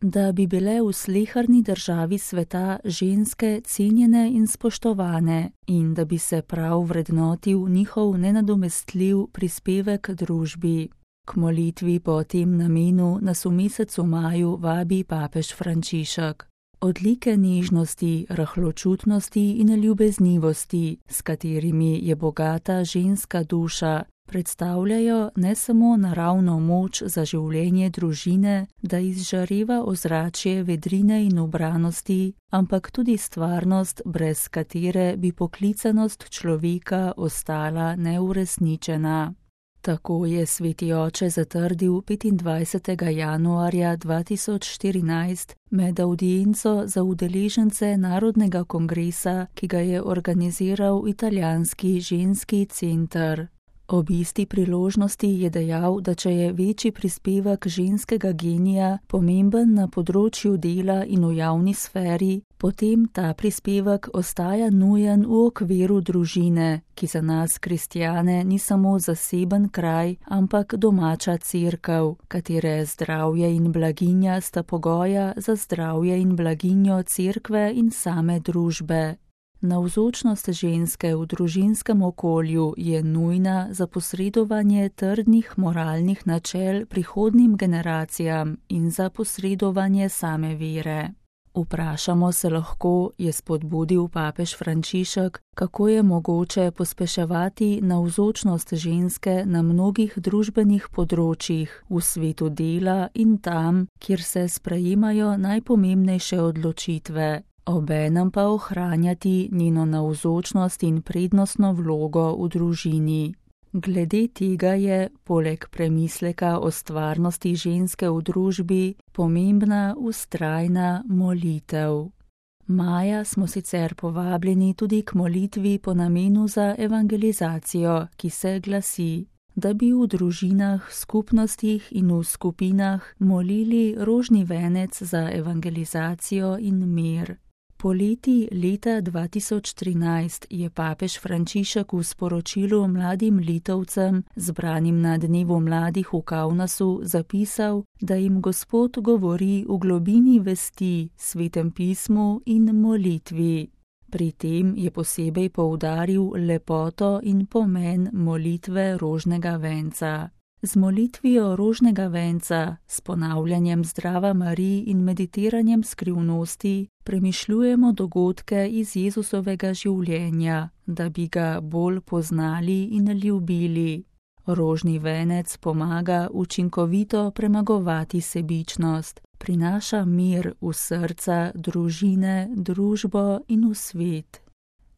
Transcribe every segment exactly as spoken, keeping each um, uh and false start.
da bi bile v sleherni državi sveta ženske cenjene in spoštovane in da bi se prav vrednotil njihov nenadomestljiv prispevek družbi. K molitvi po tem namenu nas v mesecu maju vabi papež Frančišek. Odlike nežnosti, rahločutnosti in ljubeznivosti, s katerimi je bogata ženska duša, predstavljajo ne samo naravno moč za življenje družine, da izžareva ozračje vedrine in ubranosti, ampak tudi stvarnost, brez katere bi poklicanost človeka ostala neuresničena. Tako je sveti oče zatrdil petindvajsetega januarja dva tisoč štirinajst med avdienco za udeležence Narodnega kongresa, ki ga je organiziral italijanski ženski center. Ob isti priložnosti je dejal, da če je večji prispevek ženskega genija pomemben na področju dela in v javni sferi, potem ta prispevek ostaja nujen v okviru družine, ki za nas kristjane ni samo zaseben kraj, ampak domača cerkev, katere zdravje in blaginja sta pogoja za zdravje in blaginjo cerkve in same družbe. Navzočnost ženske v družinskem okolju je nujna za posredovanje trdnih moralnih načel prihodnjim generacijam in za posredovanje same vere. Vprašamo se lahko, je spodbudil papež Frančišek, kako je mogoče pospeševati navzočnost ženske na mnogih družbenih področjih, v svetu dela in tam, kjer se sprejemajo najpomembnejše odločitve. Obenem pa ohranjati njeno navzočnost in prednostno vlogo v družini. Glede tega je, poleg premisleka o stvarnosti ženske v družbi, pomembna vztrajna molitev. Maja smo sicer povabljeni tudi k molitvi po namenu za evangelizacijo, ki se glasi, da bi v družinah, skupnostih in v skupinah molili rožni venec za evangelizacijo in mir. Poleti leta dva tisoč trinajst je papež Frančišek v sporočilu mladim Litovcem, zbranim na dnevu mladih v Kaunasu, zapisal, da jim Gospod govori v globini vesti, svetem pismu in molitvi. Pri tem je posebej poudaril lepoto in pomen molitve rožnega venca. Z molitvijo rožnega venca, s ponavljanjem Zdrava Marij in meditiranjem skrivnosti premišljujemo dogodke iz Jezusovega življenja, da bi ga bolj poznali in ljubili. Rožni venec pomaga učinkovito premagovati sebičnost, prinaša mir v srca, družine, družbo in v svet.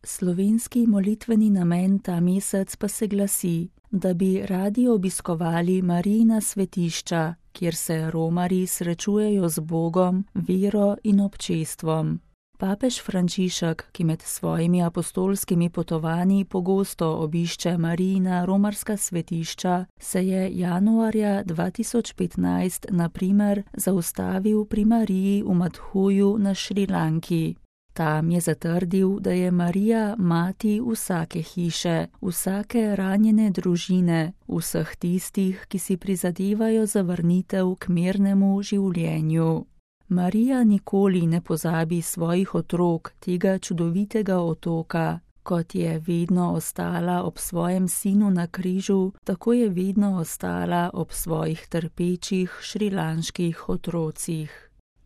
Slovenski molitveni namen ta mesec pa se glasi, da bi radi obiskovali Marijina svetišča, kjer se romarji srečujejo z Bogom, vero in občestvom. Papež Frančišek, ki med svojimi apostolskimi potovanji pogosto obišče Marijina romarska svetišča, se je januarja dva tisoč petnajst na primer zaustavil pri Mariji v Madhuju na Šrilanki. Tam je zatrdil, da je Marija mati vsake hiše, vsake ranjene družine, vseh tistih, ki si prizadevajo za vrnitev k mirnemu življenju. Marija nikoli ne pozabi svojih otrok, tega čudovitega otoka. Kot je vedno ostala ob svojem sinu na križu, tako je vedno ostala ob svojih trpečih šrilanških otrocih.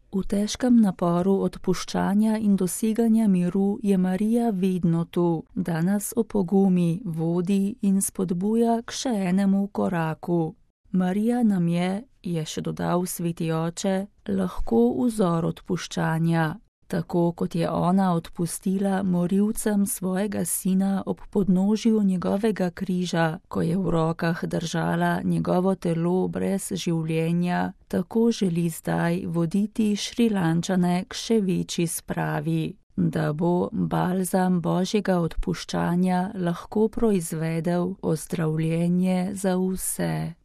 V težkem naporu odpuščanja in doseganja miru je Marija vedno tu, da nas opogumi, vodi in spodbuja k še enemu koraku. Marija nam je, je še dodal sveti oče, lahko vzor odpuščanja. Tako kot je ona odpustila morilcem svojega sina ob podnožju njegovega križa, ko je v rokah držala njegovo telo brez življenja, tako želi zdaj voditi Šrilančane k še večji spravi, da bo balzam Božjega odpuščanja lahko proizvedel ozdravljenje za vse.